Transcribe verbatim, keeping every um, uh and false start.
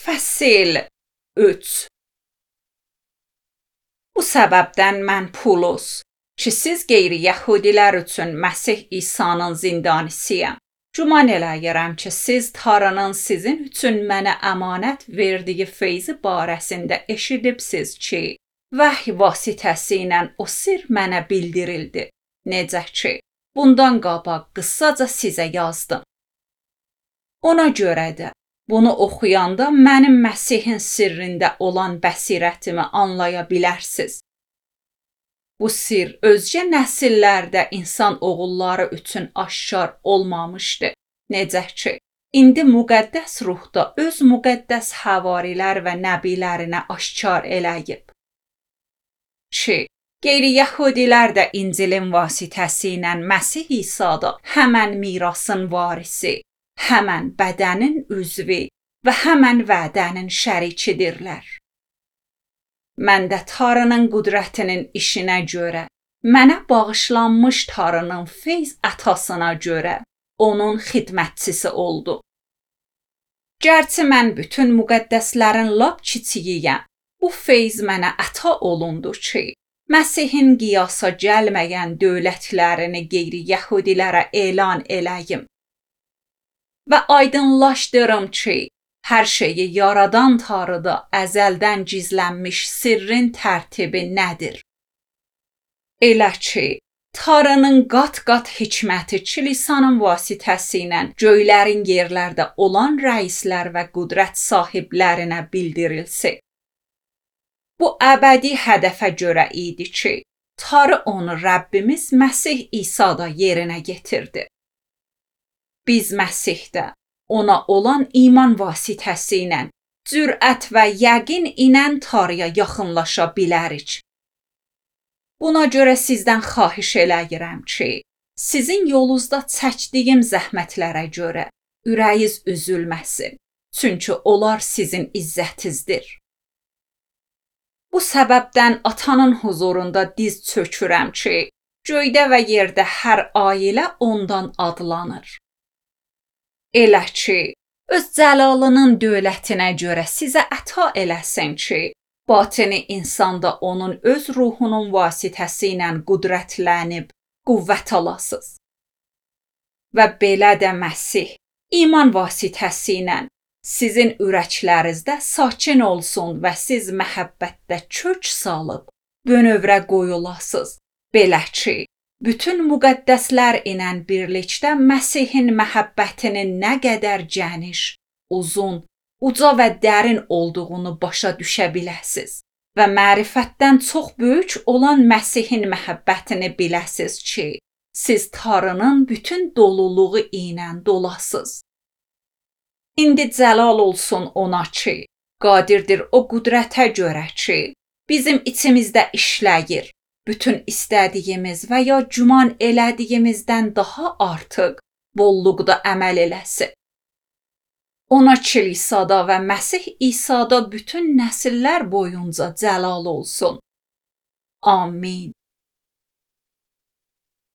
Fəsil üç. Bu səbəbdən mən Pulus ki, siz qeyri-yəhudilər üçün Məsih İsa'nın zindanisiyəm. Güman eləyirəm ki, siz Tanrının sizin üçün mənə əmanət verdiyi feyzi barəsində eşidibsiz ki, vəhy vasitəsilə o sir mənə bildirildi. Necə ki, bundan qabaq qısaca sizə yazdım. Ona görə də bunu oxuyanda mənim Məsihin sirrində olan bəsirətimi anlaya bilərsiniz. Bu sir özgə nəsillərdə insan oğulları üçün aşkar olmamışdı. Necə ki, indi müqəddəs ruhda öz müqəddəs havarilər və nəbilərinə aşkar eləyib. Ki, qeyri-yəhudilər də İncilin vasitəsilə Məsih İsa'da həmən mirasın varisi, həmən bədənin üzvü və həmən vədənin şərikidirlər. Mən də Tanrının qüdrətinin işinə görə, mənə bağışlanmış Tanrının feyz ətasına görə onun xidmətçisi oldu. Gərçi mən bütün müqəddəslərin lap kiçiyiyəm, bu feyz mənə əta olundu ki, Məsihin qiyasa gəlməyən dövlətlərini qeyri-yəhudilərə elan eləyim. Və aydınlaşdırım ki, hər şeyi yaradan Tanrıda əzəldən gizlənmiş sirrin tərtibi nədir? Elə ki, Tanrının qat-qat hikməti kilisanın vasitəsilə göylərin yerlərdə olan rəislər və qüdrət sahiblərinə bildirilsin. Bu əbədi hədəfə görə idi ki, Tanrı onu Rəbbimiz Məsih İsa'da yerinə getirdi. Biz Məsihdə ona olan iman vasitəsilə cürət və yəqin ilə Tanrıya yaxınlaşa bilərik. Buna görə sizdən xahiş eləyirəm ki, sizin yolunuzda çəkdiyim zəhmətlərə görə ürəyiniz üzülməsin, çünki onlar sizin izzətinizdir. Bu səbəbdən atanın huzurunda diz çökürəm ki, göydə və yerdə hər ailə ondan adlanır. Elə ki, öz cəlalının dövlətinə görə sizə əta eləsin ki, batini insanda onun öz ruhunun vasitəsilə qüdrətlənib, qüvvət alasınız. Və belə də Məsih, iman vasitəsilə sizin ürəklərinizdə sakin olsun və siz məhəbbətdə kök salıb, bönövrə qoyulasınız. Belə ki, bütün müqəddəslər ilə birlikdə Məsihin məhəbbətinin nə qədər gəniş, uzun, uca və dərin olduğunu başa düşə biləsiniz və mərifətdən çox böyük olan Məsihin məhəbbətini biləsiniz ki, siz Tanrının bütün doluluğu ilə dolasınız. İndi cəlal olsun ona ki, qadirdir o qüdrətə görə ki, bizim içimizdə işləyir. Bütün istədiyimiz və ya güman elədiyimizdən daha artıq bolluqda əməl eləsin. Ona kilisada və Məsih İsa'da bütün nəsillər boyunca cəlal olsun. Amin.